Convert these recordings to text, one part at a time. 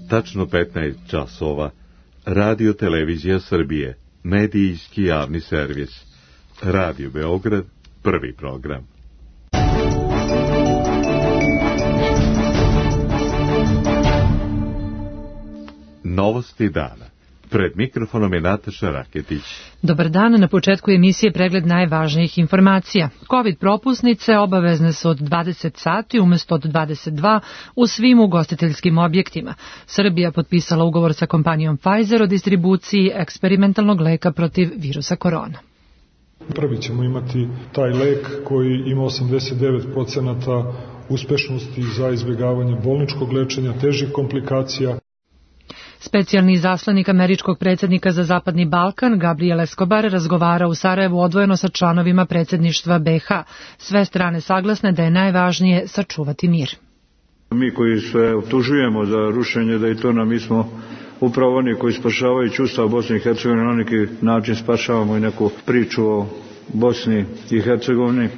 tačno 15 časova, Radio Televizija Srbije, medijski javni servis, Radio Beograd, prvi program. Novosti dana. Pred mikrofonom je Nataša Raketić. Dobar dan, na početku emisije pregled najvažnijih informacija. COVID propusnice obavezne su od 20 sati umesto od 22 u svim ugostiteljskim objektima. Srbija potpisala ugovor sa kompanijom Pfizer o distribuciji eksperimentalnog leka protiv virusa korona. Prvi ćemo imati taj lek koji ima 89% uspešnosti za izbjegavanje bolničkog lečenja, težih komplikacija. Specijalni izaslanik američkog predsjednika za Zapadni Balkan, Gabriel Escobar, razgovara u Sarajevu odvojeno sa članovima predsjedništva BiH. Sve strane saglasne da je najvažnije sačuvati mir. Mi koji se optužujemo za rušenje Dejtona, mi smo upravo oni koji spašavajući Ustav Bosne i Hercegovine na neki način spašavamo i neku priču o Bosni i Hercegovini.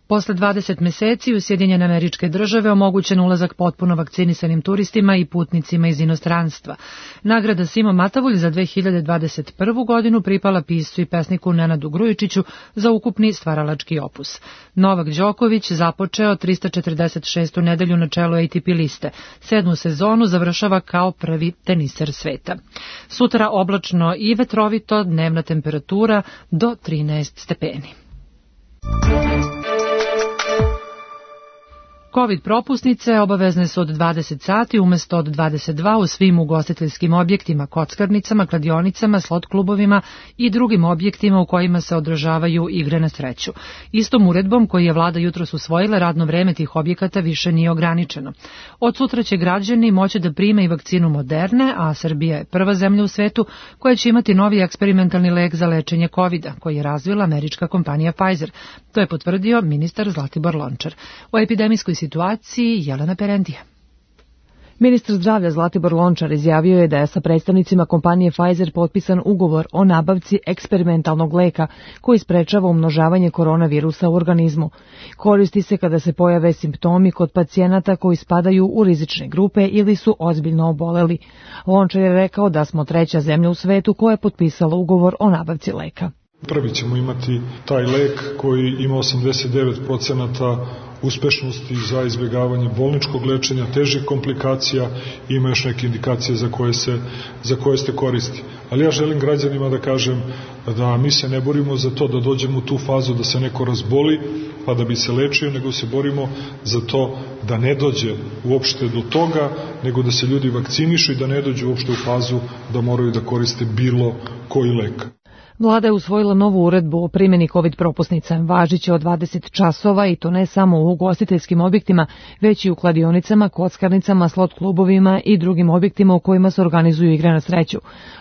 Posle 20 meseci u Sjedinjene Američke Države omogućen ulazak potpuno vakcinisanim turistima i putnicima iz inostranstva. Nagrada Simo Matavulj za 2021. godinu pripala piscu i pesniku Nenadu Grujičiću za ukupni stvaralački opus. Novak Đoković započeo 346. nedelju na čelu ATP liste. 7. sezonu završava kao prvi teniser sveta. Sutra oblačno i vetrovito, dnevna temperatura do 13 stepeni. COVID propusnice obavezne su od 20 sati umesto od 22 u svim ugostiteljskim objektima, kockarnicama, kladionicama, slot klubovima i drugim objektima u kojima se održavaju igre na sreću. Istom uredbom koji je vlada jutros usvojila, radno vreme tih objekata više nije ograničeno. Od sutra će građani moći da prime i vakcinu Moderne, a Srbija je prva zemlja u svetu koja će imati novi eksperimentalni lek za lečenje COVID-a, koji je razvila američka kompanija Pfizer. To je potvrdio ministar Zlatibor Lončar. O epidemijskoj situaciji Jelena Perentija. Ministar zdravlja Zlatibor Lončar izjavio je da je sa predstavnicima kompanije Pfizer potpisan ugovor o nabavci eksperimentalnog leka koji sprečava umnožavanje koronavirusa u organizmu. Koristi se kada se pojave simptomi kod pacijenata koji spadaju u rizične grupe ili su ozbiljno oboleli. Lončar je rekao da smo treća zemlja u svetu koja je potpisala ugovor o nabavci leka. Prvi ćemo imati taj lek koji ima 89% uspešnosti za izbjegavanje bolničkog lečenja, težih komplikacija i ima još neke indikacije za koje se koristi. Ali ja želim građanima da kažem da mi se ne borimo za to da dođemo u tu fazu da se neko razboli pa da bi se lečio, nego se borimo za to da ne dođe uopšte do toga, nego da se ljudi vakcinišu i da ne dođu uopšte u fazu da moraju da koriste bilo koji lek. Vlada je usvojila novu uredbu o primjeni COVID propusnica, važiće od 20 časova i to ne samo u ugostiteljskim objektima, već i u kladionicama, kockarnicama, slot klubovima i drugim objektima u kojima se organizuju igre na sreću.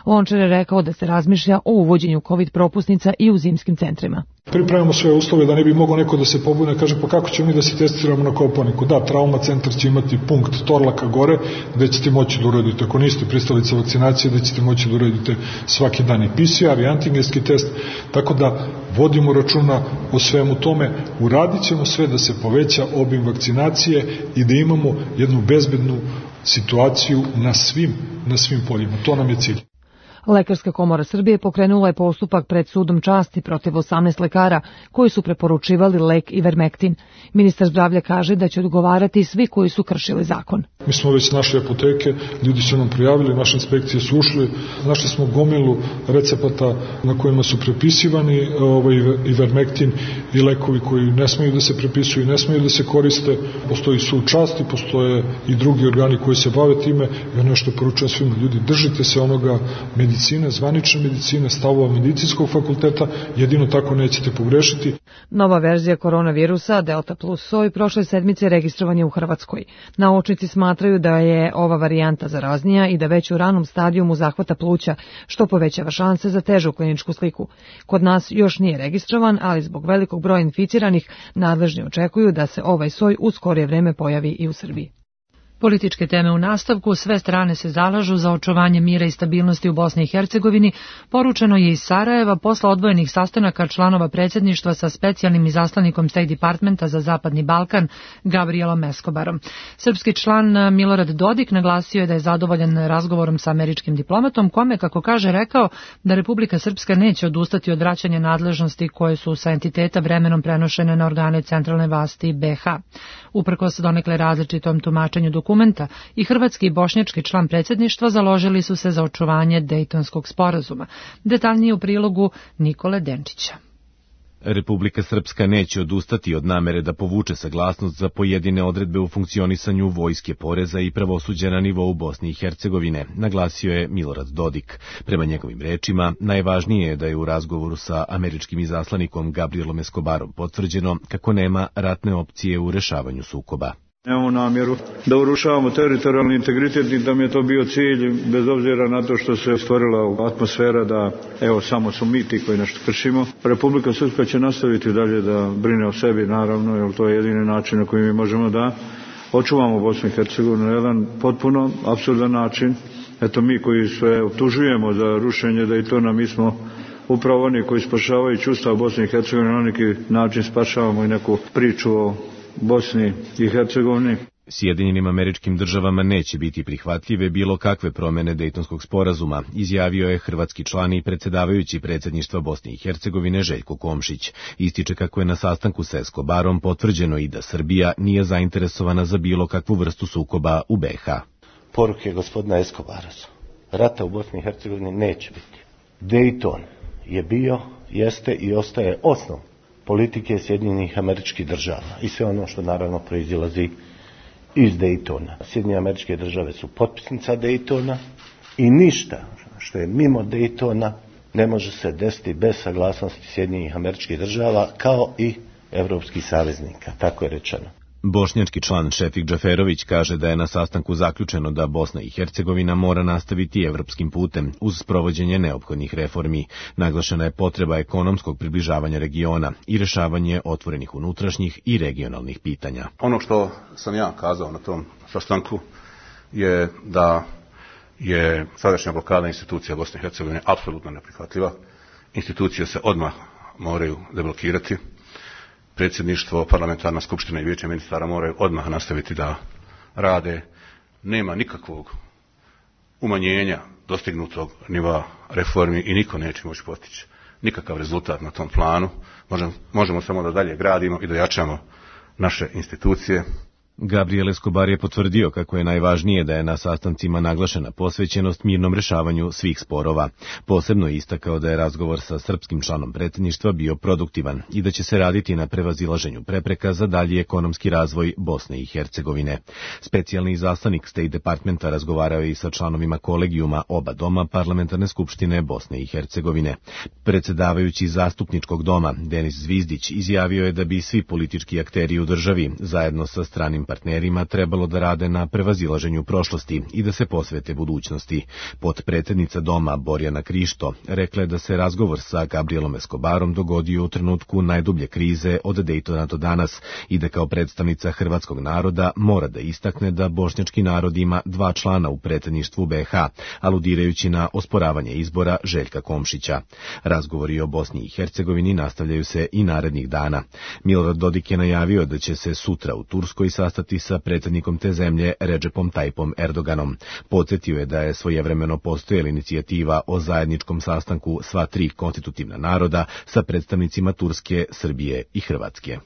Lončar je rekao da se razmišlja o uvođenju COVID propusnica i u zimskim centrima. Pripremamo sve uslove da ne bi mogao neko da se pobune, kaže pa kako ćemo mi da se testiramo na Kopaoniku. Da, trauma centar će imati punkt Torlaka gore gde ćete moći da uradite, ako niste pristalica vakcinacije, da ćete moći da uradite svaki dan i PCR i antigenski test, tako da vodimo računa o svemu tome, uradit ćemo sve da se poveća obim vakcinacije i da imamo jednu bezbednu situaciju na svim poljima. To nam je cilj. Lekarska komora Srbije pokrenula je postupak pred sudom časti protiv 18 lekara koji su preporučivali lek Ivermectin. Ministar zdravlja kaže da će odgovarati svi koji su kršili zakon. Mi smo već našli apoteke, ljudi su nam prijavili, naše inspekcije su ušli, našli smo gomilu recepata na kojima su prepisivani Ivermectin i lekovi koji ne smeju da se prepisuju i ne smeju da se koriste. Postoji sud časti, postoje i drugi organi koji se bave time i ono što poručujem svima, ljudi, držite se onoga medicine, zvanične medicine, stavova medicinskog fakulteta, jedino tako nećete pogrešiti. Nova verzija koronavirusa, Delta plus soj, prošle sedmice registrovan je u Hrvatskoj. Naučnici smatraju da je ova varijanta zaraznija i da već u ranom stadijumu zahvata pluća, što povećava šanse za težu kliničku sliku. Kod nas još nije registrovan, ali zbog velikog broja inficiranih nadležni očekuju da se ovaj soj u skorije vreme pojavi i u Srbiji. Političke teme u nastavku, sve strane se zalažu za očuvanje mira i stabilnosti u Bosni i Hercegovini, poručeno je iz Sarajeva posle odvojenih sastanaka članova predsjedništva sa specijalnim izaslanikom State Departmenta za Zapadni Balkan, Gabrielom Escobarom. Srpski član Milorad Dodik naglasio je da je zadovoljan razgovorom sa američkim diplomatom, kome, kako kaže, rekao da Republika Srpska neće odustati od vraćanja nadležnosti koje su sa entiteta vremenom prenošene na organe centralne vlasti BiH. Uprkos donekle različitom tumačenju dokumenta, i hrvatski i bošnjački član predsjedništva založili su se za očuvanje Dejtonskog sporazuma. Detaljnije u prilogu Nikole Denčića. Republika Srpska neće odustati od namere da povuče saglasnost za pojedine odredbe u funkcionisanju vojske, poreza i pravosuđa na nivou Bosne i Hercegovine, naglasio je Milorad Dodik. Prema njegovim rečima, najvažnije je da je u razgovoru sa američkim izaslanikom Gabrielom Escobarom potvrđeno kako nema ratne opcije u rešavanju sukoba. Nemamo namjeru da urušavamo teritorijalni integritet i da mi je to bio cilj, bez obzira na to što se stvorila atmosfera da samo su mi ti koji nešto kršimo. Republika Srpska će nastaviti dalje da brine o sebi, naravno, jer to je jedini način na koji mi možemo da očuvamo Bosnu i Hercegovinu na jedan potpuno apsurdan način. Mi koji sve optužujemo za rušenje Dejtona, mi smo upravo oni koji spašavajući Ustav Bosne i Hercegovine na neki način spašavamo i neku priču o Bosni i Hercegovini. Sjedinjenim Američkim Državama neće biti prihvatljive bilo kakve promjene Dejtonskog sporazuma, izjavio je hrvatski član i predsjedavajući predsjedništva Bosne i Hercegovine Željko Komšić. Ističe kako je na sastanku sa Escobarom potvrđeno i da Srbija nije zainteresovana za bilo kakvu vrstu sukoba u BiH. Poruke gospodina Escobara su: rata u Bosni i Hercegovini neće biti. Dejton je bio, jeste i ostaje osnov politike Sjedinjenih Američkih Država i sve ono što naravno proizilazi iz Dejtona. Sjedinjene Američke Države su potpisnica Dejtona i ništa što je mimo Dejtona ne može se desiti bez saglasnosti Sjedinjenih Američkih Država kao i evropskih saveznika, tako je rečeno. Bošnjački član Šefik Džaferović kaže da je na sastanku zaključeno da Bosna i Hercegovina mora nastaviti evropskim putem uz sprovođenje neophodnih reformi. Naglašena je potreba ekonomskog približavanja regiona i rešavanje otvorenih unutrašnjih i regionalnih pitanja. Ono što sam ja kazao na tom sastanku je da je sadašnja blokada institucija Bosne i Hercegovine apsolutno neprihvatljiva. Institucije se odmah moraju deblokirati. Predsjedništvo, parlamentarna skupština i vijeće ministara moraju odmah nastaviti da rade. Nema nikakvog umanjenja dostignutog nivoa reformi i niko neće moći postići nikakav rezultat na tom planu. Možemo samo da dalje gradimo i da jačamo naše institucije. Gabriel Escobar je potvrdio kako je najvažnije da je na sastancima naglašena posvećenost mirnom rešavanju svih sporova. Posebno je istakao da je razgovor sa srpskim članom predsjedništva bio produktivan i da će se raditi na prevazilaženju prepreka za dalji ekonomski razvoj Bosne i Hercegovine. Specijalni izaslanik State Departmenta razgovarao je i sa članovima kolegijuma oba doma parlamentarne skupštine Bosne i Hercegovine. Predsjedavajući zastupničkog doma Denis Zvizdić izjavio je da bi svi politički akteri u državi zajedno sa stranim partnerima trebalo da rade na prevazilaženju prošlosti i da se posvete budućnosti. Potpredsjednica doma Borjana Krišto rekla je da se razgovor sa Gabrielom Escobarom dogodio u trenutku najdublje krize od Dejtona do danas i da kao predstavnica hrvatskog naroda mora da istakne da bošnjački narod ima 2 člana u predsjedništvu BiH, aludirajući na osporavanje izbora Željka Komšića. Razgovori o Bosni i Hercegovini nastavljaju se i narednih dana. Milorad Dodik je najavio da će se sutra u Turskoj sastati sa predsjednikom te zemlje Redžepom Tajipom Erdoganom. Podsjetio je da je svojevremeno postojala inicijativa o zajedničkom sastanku sva 3 konstitutivna naroda sa predstavnicima Turske, Srbije i Hrvatske.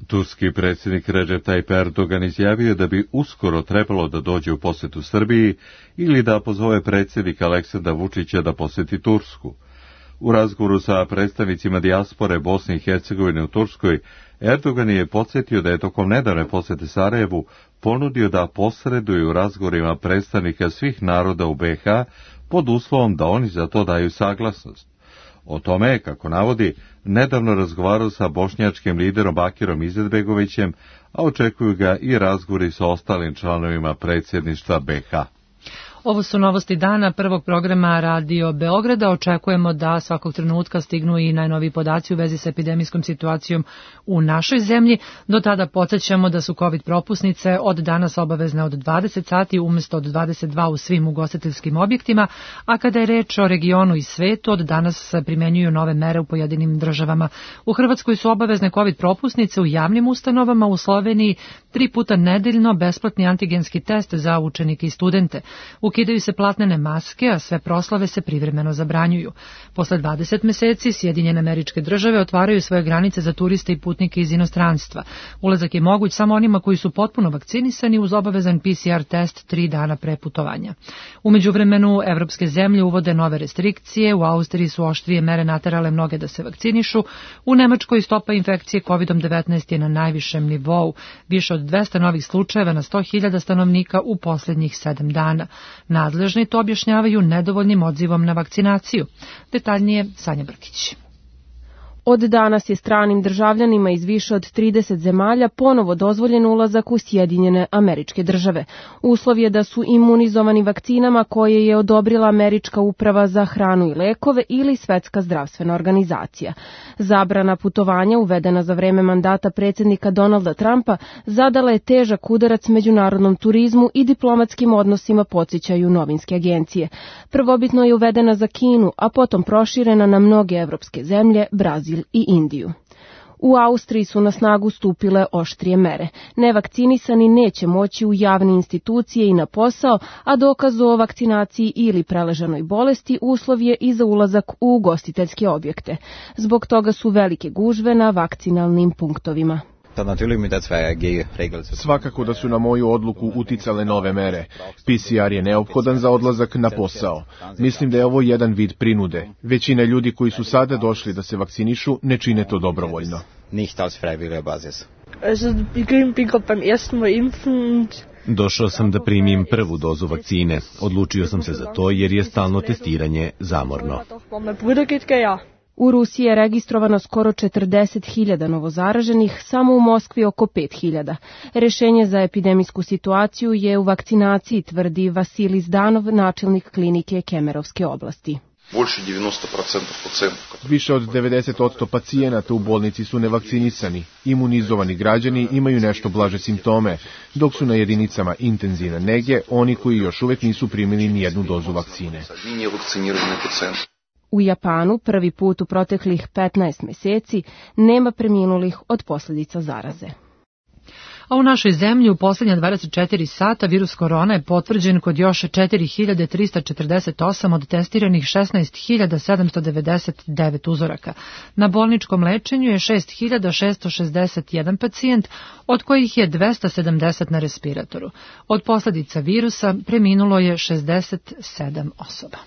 Turski predsjednik Recep Tayyip Erdogan izjavio da bi uskoro trebalo da dođe u posjetu Srbiji ili da pozove predsjednika Aleksandra Vučića da posjeti Tursku. U razgovoru sa predstavnicima dijaspore Bosne i Hercegovine u Turskoj, Erdogan je podsjetio da je tokom nedavne posjete Sarajevu ponudio da posreduje u razgovorima predstavnika svih naroda u BiH pod uslovom da oni za to daju saglasnost. O tome je, kako navodi, nedavno razgovarao sa bošnjačkim liderom Bakirom Izetbegovićem, a očekuju ga i razgovori sa ostalim članovima predsjedništva BiH. Ovo su novosti dana prvog programa Radio Beograda. Očekujemo da svakog trenutka stignu i najnoviji podaci u vezi sa epidemijskom situacijom u našoj zemlji. Do tada podsjećamo da su COVID propusnice od danas obavezne od 20 sati umesto od 22 u svim ugostiteljskim objektima, a kada je reč o regionu i svetu, od danas se primenjuju nove mere u pojedinim državama. U Hrvatskoj su obavezne COVID propusnice u javnim ustanovama, u Sloveniji 3 puta nedeljno besplatni antigenski test za učenike i studente. Ukidaju se platnene maske, a sve proslave se privremeno zabranjuju. Posle 20 meseci Sjedinjene Američke Države otvaraju svoje granice za turiste i putnike iz inostranstva. Ulazak je moguć samo onima koji su potpuno vakcinisani uz obavezan PCR test 3 dana pre putovanja. U međuvremenu evropske zemlje uvode nove restrikcije, u Austriji su oštrije mere naterale mnoge da se vakcinišu, u Nemačkoj stopa infekcije COVID-19 je na najvišem nivou, više od 200 novih slučajeva na 100.000 stanovnika u posljednjih 7 dana. Nadležni to objašnjavaju nedovoljnim odzivom na vakcinaciju. Detaljnije Sanja Brkić. Od danas je stranim državljanima iz više od 30 zemalja ponovo dozvoljen ulazak u Sjedinjene Američke Države. Uslov je da su imunizovani vakcinama koje je odobrila Američka uprava za hranu i lekove ili Svetska zdravstvena organizacija. Zabrana putovanja uvedena za vreme mandata predsjednika Donalda Trumpa zadala je težak udarac međunarodnom turizmu i diplomatskim odnosima, podsjećaju novinske agencije. Prvobitno je uvedena za Kinu, a potom proširena na mnoge evropske zemlje, Brazil i Indiju. U Austriji su na snagu stupile oštrije mere. Nevakcinisani neće moći u javne institucije i na posao, a dokaz o vakcinaciji ili preležanoj bolesti uslov je i za ulazak u ugostiteljske objekte. Zbog toga su velike gužve na vakcinalnim punktovima. Svakako da su na moju odluku uticale nove mere. PCR je neophodan za odlazak na posao. Mislim da je ovo jedan vid prinude. Većina ljudi koji su sada došli da se vakcinišu ne čine to dobrovoljno. Došao sam da primim prvu dozu vakcine. Odlučio sam se za to jer je stalno testiranje zamorno. U Rusiji je registrovano skoro 40.000 novozaraženih, samo u Moskvi oko 5.000. Rešenje za epidemijsku situaciju je u vakcinaciji, tvrdi Vasilij Zdanov, načelnik klinike Kemerovske oblasti. Više od 90% pacijenata u bolnici su nevakcinisani. Imunizovani građani imaju nešto blaže simptome, dok su na jedinicama intenzivne nege oni koji još uvek nisu primili nijednu dozu vakcine. U Japanu prvi put u proteklih 15 meseci nema preminulih od posljedica zaraze. A u našoj zemlji u posljednja 24 sata virus korona je potvrđen kod još 4.348 od testiranih 16.799 uzoraka. Na bolničkom lečenju je 6.661 pacijent, od kojih je 270 na respiratoru. Od posljedica virusa preminulo je 67 osoba.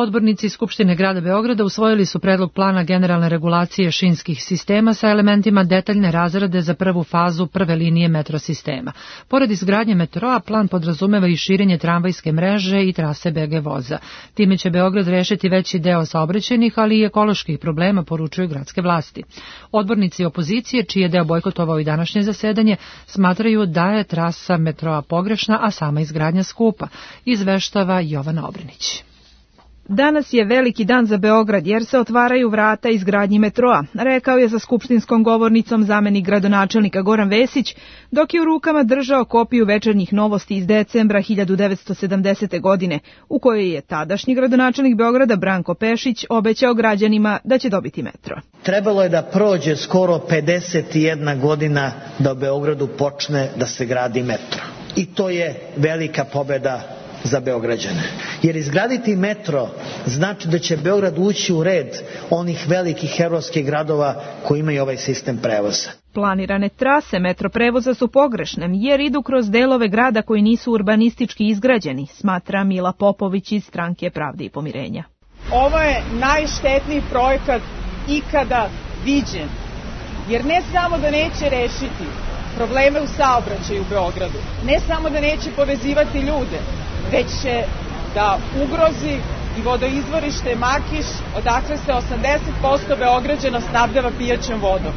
Odbornici Skupštine grada Beograda usvojili su predlog plana generalne regulacije šinskih sistema sa elementima detaljne razrade za prvu fazu prve linije metro sistema. Pored izgradnje metroa, plan podrazumeva i širenje tramvajske mreže i trase BG voza. Time će Beograd rešiti veći deo saobraćajnih, ali i ekoloških problema, poručuju gradske vlasti. Odbornici opozicije, čiji je deo bojkotovao i današnje zasedanje, smatraju da je trasa metroa pogrešna, a sama izgradnja skupa, izveštava Jovana Obrenić. Danas je veliki dan za Beograd jer se otvaraju vrata izgradnji metroa, rekao je za skupštinskom govornicom zamenik gradonačelnika Goran Vesić, dok je u rukama držao kopiju večernjih novosti iz decembra 1970. godine, u kojoj je tadašnji gradonačelnik Beograda Branko Pešić obećao građanima da će dobiti metro. Trebalo je da prođe skoro 51 godina da u Beogradu počne da se gradi metro. I to je velika pobeda za Beograđane. Jer izgraditi metro znači da će Beograd ući u red onih velikih evropskih gradova koji imaju ovaj sistem prevoza. Planirane trase metro prevoza su pogrešne jer idu kroz delove grada koji nisu urbanistički izgrađeni, smatra Mila Popović iz Stranke Pravde i pomirenja. Ovo je najštetniji projekat ikada viđen, jer ne samo da neće rešiti probleme u saobraćaju u Beogradu, ne samo da neće povezivati ljude, već će da ugrozi i vodoizvorište Makiš, odakle se 80% Beograđana snabdeva pijaćom vodom.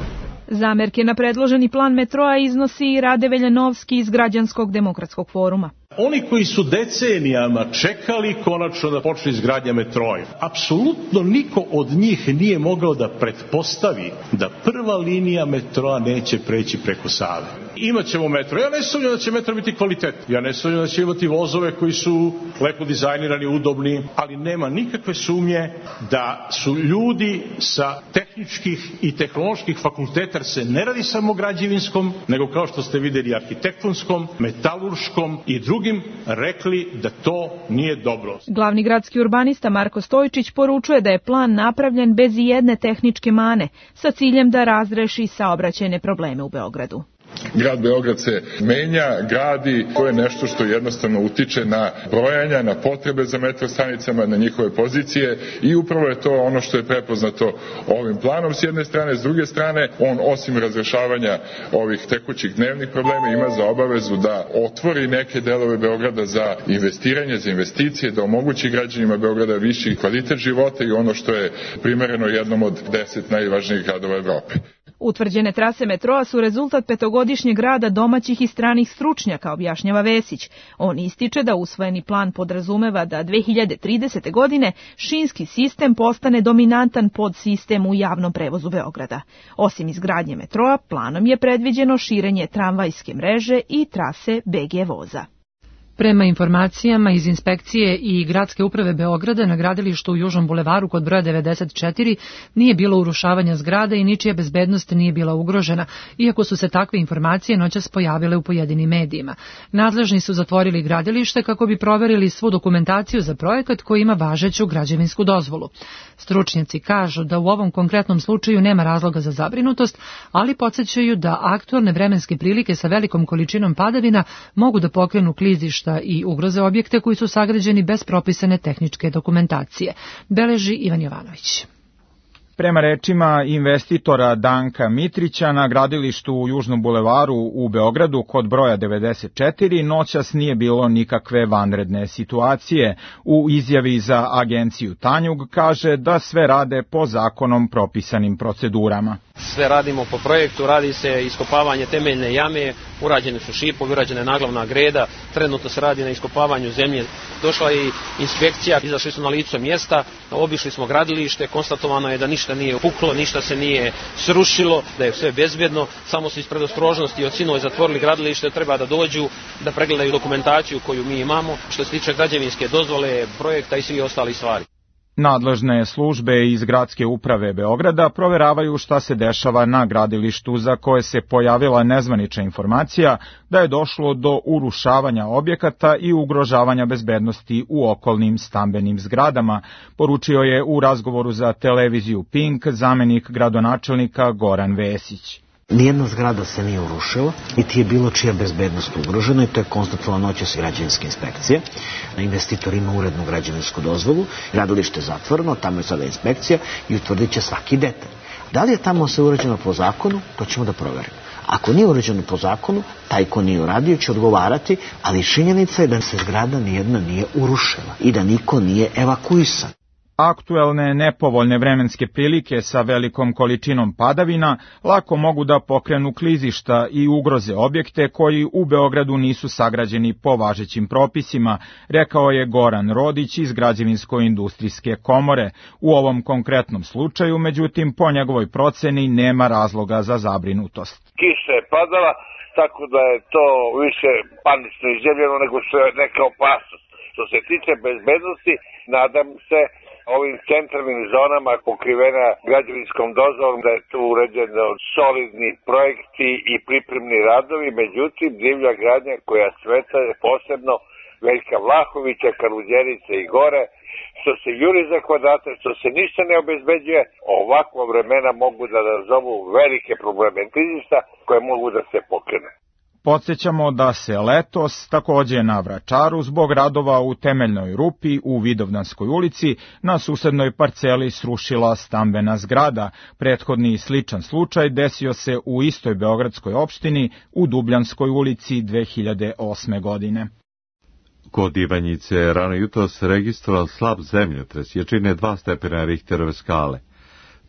Zamerke na predloženi plan metroa iznosi i Rade Veljanovski iz Građanskog demokratskog foruma. Oni koji su decenijama čekali konačno da počne izgradnja metroa, apsolutno niko od njih nije mogao da pretpostavi da prva linija metroa neće preći preko Save. Imaćemo metro. Ja ne sumnjam da će metro biti kvalitetni. Ja ne sumnjam da će imati vozove koji su lepo dizajnirani, udobni, ali nema nikakve sumnje da su ljudi sa tehničkih i tehnoloških fakulteta, jer se ne radi samo građevinskom, nego kao što ste videli arhitektonskom, metalurškom i drugim, rekli da to nije dobro. Glavni gradski urbanista Marko Stojčić poručuje da je plan napravljen bez ijedne tehničke mane, sa ciljem da razreši saobraćajne probleme u Beogradu. Grad Beograd se menja, gradi, to je nešto što jednostavno utiče na brojanja, na potrebe za metro stanicama, na njihove pozicije i upravo je to ono što je prepoznato ovim planom s jedne strane, s druge strane on osim razrešavanja ovih tekućih dnevnih problema ima za obavezu da otvori neke delove Beograda za investiranje, za investicije, da omogući građanima Beograda viši kvalitet života i ono što je primereno jednom od 10 najvažnijih gradova Evrope. Utvrđene trase metroa su rezultat petogodišnjeg rada domaćih i stranih stručnjaka, objašnjava Vesić. On ističe da usvojeni plan podrazumeva da 2030. godine šinski sistem postane dominantan podsistem u javnom prevozu Beograda. Osim izgradnje metroa, planom je predviđeno širenje tramvajske mreže i trase BG voza. Prema informacijama iz inspekcije i gradske uprave Beograda na gradilištu u Južnom bulevaru kod broja 94 nije bilo urušavanja zgrada i ničija bezbednost nije bila ugrožena, iako su se takve informacije noćas pojavile u pojedinim medijima. Nadležni su zatvorili gradilište kako bi proverili svu dokumentaciju za projekat koji ima važeću građevinsku dozvolu. Stručnjaci kažu da u ovom konkretnom slučaju nema razloga za zabrinutost, ali podsjećaju da aktualne vremenske prilike sa velikom količinom padavina mogu da pokrenu klizišta i ugroze objekte koji su sagrađeni bez propisane tehničke dokumentacije, beleži Ivan Jovanović. Prema rečima investitora Danka Mitrića, na gradilištu u Južnom bulevaru u Beogradu kod broja 94 noćas nije bilo nikakve vanredne situacije. U izjavi za agenciju Tanjug kaže da sve rade po zakonom propisanim procedurama. Sve radimo po projektu, radi se iskopavanje temeljne jame, urađene su šipovi, urađena je naglavna greda, trenutno se radi na iskopavanju zemlje. Došla je i inspekcija, izašli su na lice mjesta, obišli smo gradilište, konstatovano je da ništa nije puklo, ništa se nije srušilo, da je sve bezbjedno, samo su iz predostrožnosti od sinovi zatvorili gradilište, treba da dođu, da pregledaju dokumentaciju koju mi imamo, što se tiče građevinske dozvole, projekta i svi ostali stvari. Nadležne službe iz gradske uprave Beograda proveravaju šta se dešava na gradilištu za koje se pojavila nezvanična informacija da je došlo do urušavanja objekata i ugrožavanja bezbednosti u okolnim stambenim zgradama, poručio je u razgovoru za televiziju Pink zamenik gradonačelnika Goran Vesić. Nijedna zgrada se nije urušila, niti je bilo čija bezbednost ugrožena i to je konstatovano noćas građevinske inspekcije. Investitor ima urednu građevinsku dozvolu, gradilište je zatvoreno, tamo je sada inspekcija i utvrdit će svaki detalj. Da li je tamo sve uređeno po zakonu, to ćemo da proverimo. Ako nije uređeno po zakonu, taj ko nije uradio će odgovarati, ali činjenica je da se zgrada nijedna nije urušila i da niko nije evakuisan. Aktuelne nepovoljne vremenske prilike sa velikom količinom padavina lako mogu da pokrenu klizišta i ugroze objekte koji u Beogradu nisu sagrađeni po važećim propisima, rekao je Goran Rodić iz Građevinsko-industrijske komore. U ovom konkretnom slučaju, međutim, po njegovoj proceni nema razloga za zabrinutost. Kiša je padala, tako da je to više panično izjavljeno nego što je neka opasnost. Što se tiče bezbednosti, nadam se ovim centralnim zonama pokrivena građevinskom dozvolom da je tu uređeno solidni projekti i pripremni radovi, međutim divlja gradnja koja sveta je posebno Veljka Vlahovića, Kaluđerice i gore, što se juri za kvadrate, što se ništa ne obezbeđuje, ovakva vremena mogu da nazovu velike probleme klizišta koje mogu da se pokrene. Podsjećamo da se letos takođe na Vračaru zbog radova u temeljnoj rupi u Vidovdanskoj ulici na susednoj parceli srušila stambena zgrada. Prethodni sličan slučaj desio se u istoj beogradskoj opštini u Dubljanskoj ulici 2008. godine. Kod Ivanjice je rano jutros registrovan slab zemljotres, jačine 2 stepena Richterove skale.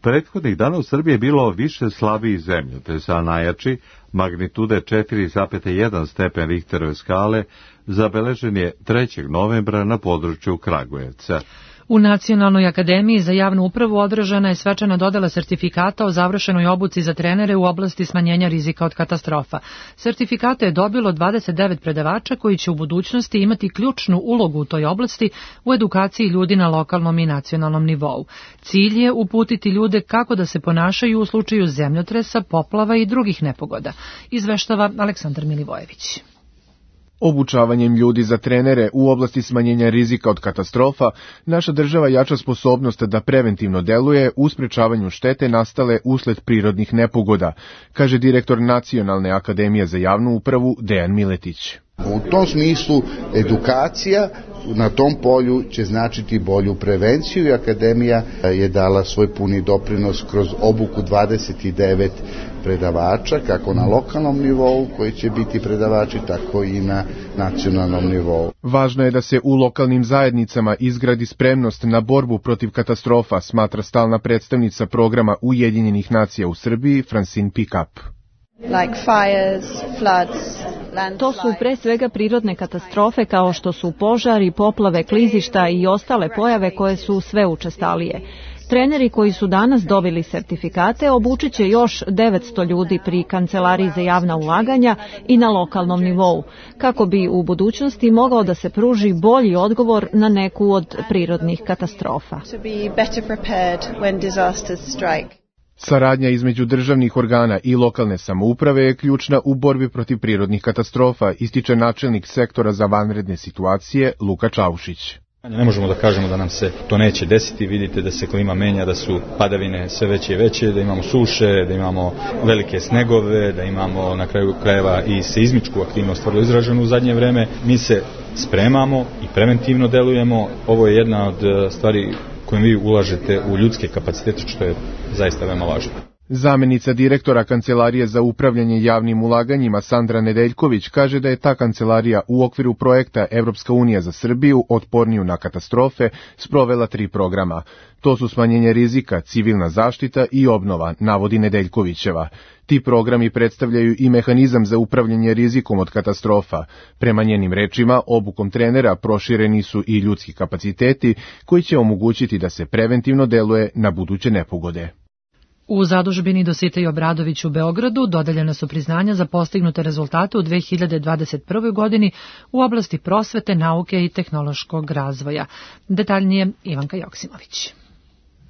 Prethodnih dana u Srbiji je bilo više slabijih zemljotresa, a najjači, magnitude 4,1 stepen Richterove skale, zabeležen je 3. novembra na području Kragujevca. U Nacionalnoj akademiji za javnu upravu održana je svečana dodela sertifikata o završenoj obuci za trenere u oblasti smanjenja rizika od katastrofa. Sertifikate je dobilo 29 predavača koji će u budućnosti imati ključnu ulogu u toj oblasti u edukaciji ljudi na lokalnom i nacionalnom nivou. Cilj je uputiti ljude kako da se ponašaju u slučaju zemljotresa, poplava i drugih nepogoda, izveštava Aleksandar Milivojević. Obučavanjem ljudi za trenere u oblasti smanjenja rizika od katastrofa, naša država jača sposobnost da preventivno deluje u sprečavanju štete nastale usled prirodnih nepogoda, kaže direktor Nacionalne akademije za javnu upravu Dejan Miletić. U tom smislu edukacija na tom polju će značiti bolju prevenciju i Akademija je dala svoj puni doprinos kroz obuku 29 predavača, kako na lokalnom nivou koji će biti predavači, tako i na nacionalnom nivou. Važno je da se u lokalnim zajednicama izgradi spremnost na borbu protiv katastrofa, smatra stalna predstavnica programa Ujedinjenih nacija u Srbiji, Francine Pickup. Like fires, floods, to su pre svega prirodne katastrofe kao što su požari, poplave, klizišta i ostale pojave koje su sve učestalije. Treneri koji su danas dobili sertifikate obučit će još 900 ljudi pri Kancelariji za javna ulaganja i na lokalnom nivou, kako bi u budućnosti mogao da se pruži bolji odgovor na neku od prirodnih katastrofa. Saradnja između državnih organa i lokalne samouprave je ključna u borbi protiv prirodnih katastrofa, ističe načelnik sektora za vanredne situacije Luka Čaušić. Ne možemo da kažemo da nam se to neće desiti, vidite da se klima menja, da su padavine sve veće i veće, da imamo suše, da imamo velike snegove, da imamo na kraju krajeva i seizmičku aktivnost vrlo izraženu u zadnje vreme. Mi se spremamo i preventivno delujemo, ovo je jedna od stvari kojim vi ulažete u ljudske kapacitete, što je zaista veoma važno. Zamenica direktora Kancelarije za upravljanje javnim ulaganjima Sandra Nedeljković kaže da je ta kancelarija u okviru projekta Evropska unija za Srbiju otporniju na katastrofe sprovela 3 programa. To su smanjenje rizika, civilna zaštita i obnova, navodi Nedeljkovićeva. Ti programi predstavljaju i mehanizam za upravljanje rizikom od katastrofa. Prema njenim rečima, obukom trenera prošireni su i ljudski kapaciteti koji će omogućiti da se preventivno deluje na buduće nepogode. U zadužbini Dositej Obradović u Beogradu dodeljena su priznanja za postignute rezultate u 2021. godini u oblasti prosvete, nauke i tehnološkog razvoja. Detaljnije Ivanka Joksimović.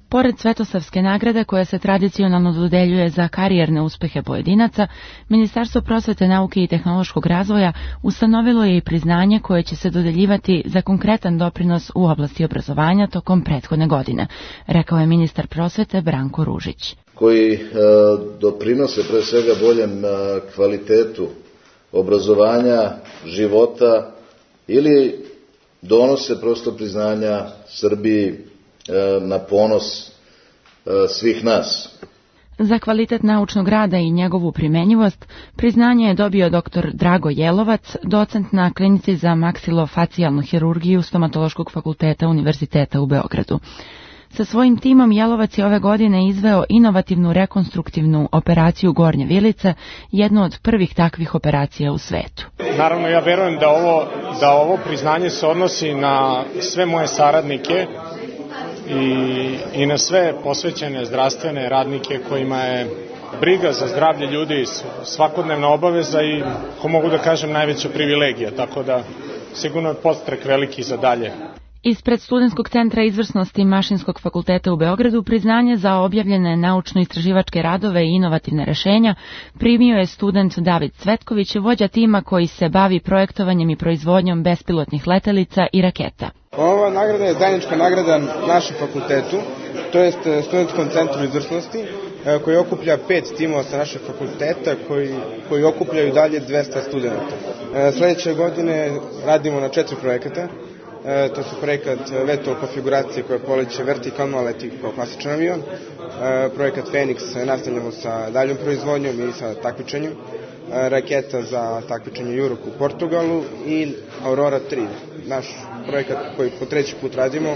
Pored Svetosavske nagrade koja se tradicionalno dodeljuje za karijerne uspehe pojedinaca, Ministarstvo prosvete, nauke i tehnološkog razvoja ustanovilo je i priznanje koje će se dodeljivati za konkretan doprinos u oblasti obrazovanja tokom prethodne godine, rekao je ministar prosvete Branko Ružić. Koji doprinose pre svega boljem kvalitetu obrazovanja, života ili donose prosto priznanja Srbiji na ponos svih nas. Za kvalitet naučnog rada i njegovu primenjivost priznanje je dobio dr. Drago Jelovac, docent na klinici za maksilofacijalnu hirurgiju Stomatološkog fakulteta Univerziteta u Beogradu. Sa svojim timom Jelovac je ove godine izveo inovativnu rekonstruktivnu operaciju gornje vilice, jednu od prvih takvih operacija u svetu. Naravno, ja verujem da ovo priznanje se odnosi na sve moje saradnike i na sve posvećene zdravstvene radnike kojima je briga za zdravlje ljudi svakodnevna obaveza i, ako mogu da kažem, najveća privilegija, tako da sigurno je podstrek veliki za dalje. Ispred Studentskog centra izvrsnosti Mašinskog fakulteta u Beogradu priznanje za objavljene naučno-istraživačke radove i inovativne rešenja primio je student David Cvetković, vođa tima koji se bavi projektovanjem i proizvodnjom bespilotnih letelica i raketa. Ova nagrada je zajednička nagrada našem fakultetu, to jest Studentskom centru izvrsnosti, koji okuplja 5 timova sa našeg fakulteta koji okupljaju dalje 200 studenta. Sledeće godine radimo na 4 projekata. To su projekat VTOL konfiguracije koja poleće vertikalno, a leti kao klasičan avion. Projekat Fenix nastavljamo sa daljom proizvodnjom i sa takmičenjem. Raketa za takmičenje Jurok u Portugalu i Aurora 3, naš projekat koji po 3. put radimo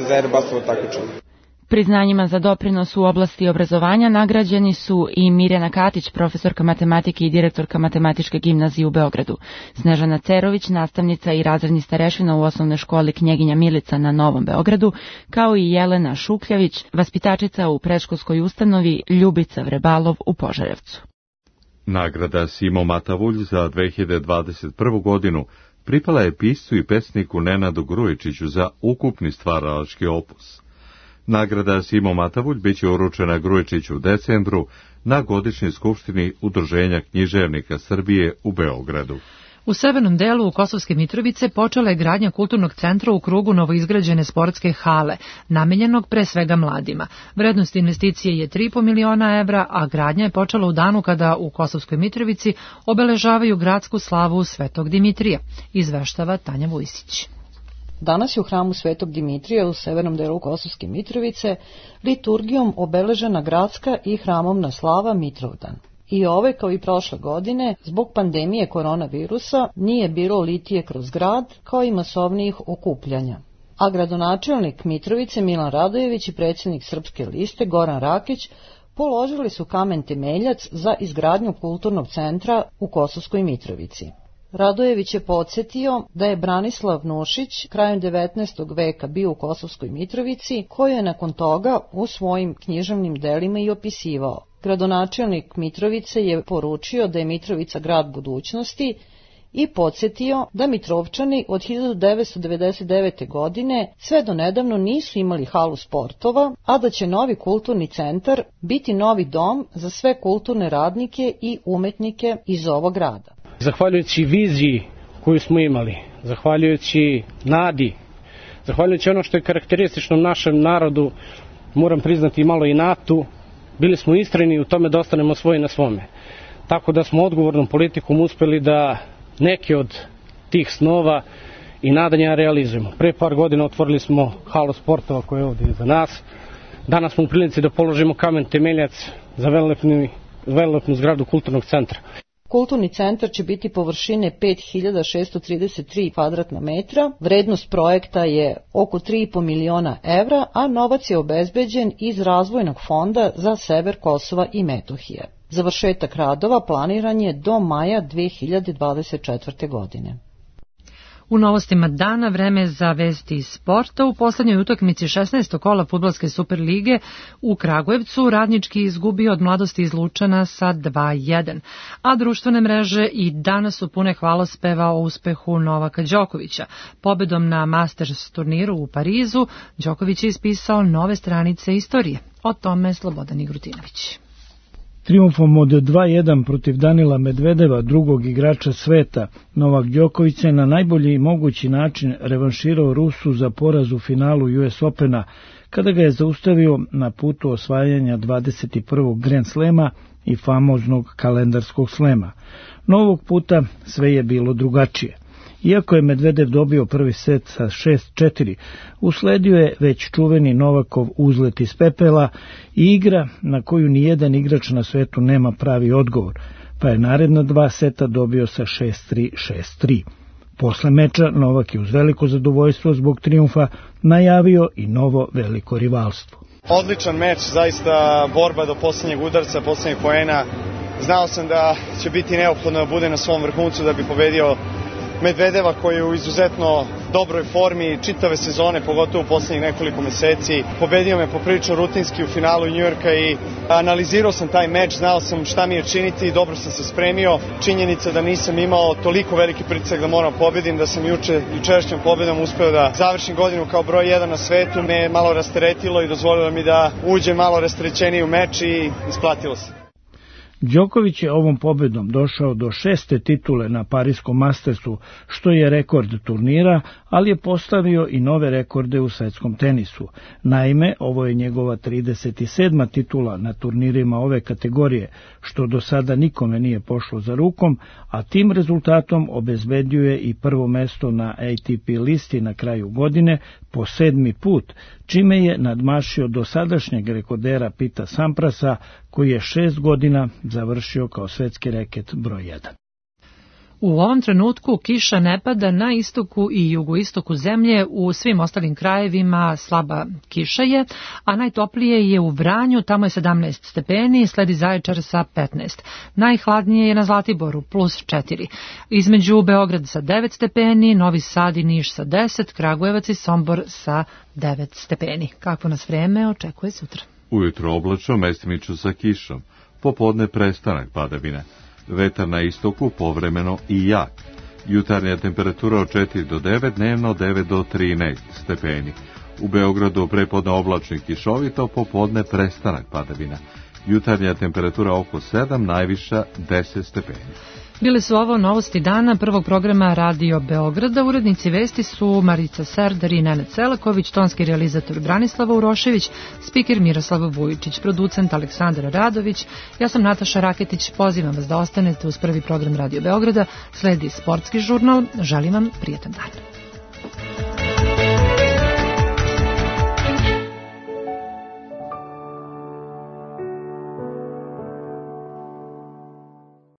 za Airbusovo takmičenje. Priznanjima za doprinos u oblasti obrazovanja nagrađeni su i Mirjana Katić, profesorka matematike i direktorka Matematičke gimnazije u Beogradu, Snežana Cerović, nastavnica i razredni starešina u osnovnoj školi Knjeginja Milica na Novom Beogradu, kao i Jelena Šukljavić, vaspitačica u predškolskoj ustanovi Ljubica Vrebalov u Požarevcu. Nagrada Simo Matavulj za 2021. godinu pripala je piscu i pesniku Nenadu Grujičiću za ukupni stvaralački opus. Nagrada Simo Matavulj biće uručena Grujičiću u decembru na godišnjoj skupštini Udruženja književnika Srbije u Beogradu. U severnom delu Kosovske Mitrovice počela je gradnja kulturnog centra u krugu novoizgrađene sportske hale, namenjenog pre svega mladima. Vrednost investicije je 3,5 miliona evra, a gradnja je počela u danu kada u Kosovskoj Mitrovici obeležavaju gradsku slavu Svetog Dimitrija, izveštava Tanja Vujsić. Danas je u hramu Svetog Dimitrija u severnom delu Kosovske Mitrovice liturgijom obeležena gradska i hramovna slava Mitrovdan. I ove, kao i prošle godine, zbog pandemije koronavirusa nije bilo litije kroz grad, kao i masovnijih okupljanja. A gradonačelnik Mitrovice Milan Radojević i predsjednik Srpske liste Goran Rakić položili su kamen temeljac za izgradnju kulturnog centra u Kosovskoj Mitrovici. Radojević je podsjetio da je Branislav Nušić krajem 19. veka bio u Kosovskoj Mitrovici, koju je nakon toga u svojim književnim delima i opisivao. Gradonačelnik Mitrovice je poručio da je Mitrovica grad budućnosti i podsjetio da Mitrovčani od 1999. godine sve do nedavno nisu imali halu sportova, a da će novi kulturni centar biti novi dom za sve kulturne radnike i umetnike iz ovog grada. Zahvaljujući viziji koju smo imali, zahvaljujući nadi, zahvaljujući ono što je karakteristično našem narodu, moram priznati malo inatu, bili smo istrajni u tome da ostanemo svoji na svome. Tako da smo odgovornom politikom uspeli da neke od tih snova i nadanja realizujemo. Pre par godina otvorili smo halu sportova koja je ovdje iza nas. Danas smo u prilici da položimo kamen temeljac za velelepnu zgradu kulturnog centra. Kulturni centar će biti površine 5633 kvadratna metra, vrednost projekta je oko 3,5 miliona evra, a novac je obezbeđen iz razvojnog fonda za sever Kosova i Metohije. Završetak radova planiran je do maja 2024. godine. U novostima dana vreme za vesti iz sporta. U poslednjoj utakmici 16. kola fudbalske Superlige u Kragujevcu Radnički izgubio od Mladosti iz Lučana sa 2:1, a društvene mreže i danas su pune hvalospeva o uspehu Novaka Đokovića. Pobedom na Masters turniru u Parizu, Đoković je ispisao nove stranice istorije. O tome Slobodan Igrutinović. Trijumfom od 2:1 protiv Danila Medvedeva, drugog igrača sveta, Novak Đoković se na najbolji mogući način revanširao Rusu za poraz u finalu US Opena, kada ga je zaustavio na putu osvajanja 21. Grand Slema i famoznog kalendarskog slema. Novog puta sve je bilo drugačije. Iako je Medvedev dobio prvi set sa 6:4, usledio je već čuveni Novakov uzlet iz pepela i igra na koju nijedan igrač na svetu nema pravi odgovor, pa je naredna 2 seta dobio sa 6:3, 6:3. Posle meča Novak je uz veliko zadovoljstvo zbog trijumfa najavio i novo veliko rivalstvo. Odličan meč, zaista borba do posljednjeg udarca, posljednjeg poena. Znao sam da će biti neophodno da bude na svom vrhuncu da bi pobedio Medvedeva koji je u izuzetno dobroj formi čitave sezone, pogotovo u posljednjih nekoliko meseci. Pobedio me poprilično rutinski u finalu Njujorka i analizirao sam taj meč, znao sam šta mi je činiti i dobro sam se spremio. Činjenica da nisam imao toliko veliki pritisak da moram pobedim, da sam jučerašnjom pobedom uspeo da završim godinu kao broj 1 na svetu, me je malo rasteretilo i dozvolilo mi da uđem malo rasterećeniji u meč i isplatilo se. Đoković je ovom pobedom došao do 6. titule na Pariskom Mastersu, što je rekord turnira, ali je postavio i nove rekorde u svetskom tenisu. Naime, ovo je njegova 37. titula na turnirima ove kategorije, što do sada nikome nije pošlo za rukom, a tim rezultatom obezbedio i prvo mesto na ATP listi na kraju godine po 7. put, čime je nadmašio dosadašnjeg rekordera Pita Samprasa, koji je 6 godina završio kao svetski reket broj 1. U ovom trenutku kiša ne pada na istoku i jugoistoku zemlje, u svim ostalim krajevima slaba kiša je, a najtoplije je u Vranju, tamo je 17 stepeni, sledi Zaječar sa 15. Najhladnije je na Zlatiboru, plus 4. Između Beograd sa 9 stepeni, Novi Sad i Niš sa 10, Kragujevac i Sombor sa 9 stepeni. Kako nas vreme očekuje sutra? Ujutro oblačno, mestimično sa kišom. Popodne prestanak padavine. Vetar na istoku povremeno i jak. Jutarnja temperatura od 4 do 9, dnevno 9 do 13 stepeni. U Beogradu prepodne oblačno i kišovito, popodne prestanak padavina. Jutarnja temperatura oko 7, najviša 10 stepeni. Bile su ovo novosti dana prvog programa Radio Beograda. Urednici vesti su Marica Serdar i Nenad Selaković, tonski realizator Branislava Urošević, spiker Miroslav Vujičić, producent Aleksandar Radović. Ja sam Nataša Raketić, pozivam vas da ostanete uz prvi program Radio Beograda. Sledi sportski žurnal. Želim vam prijetan dan.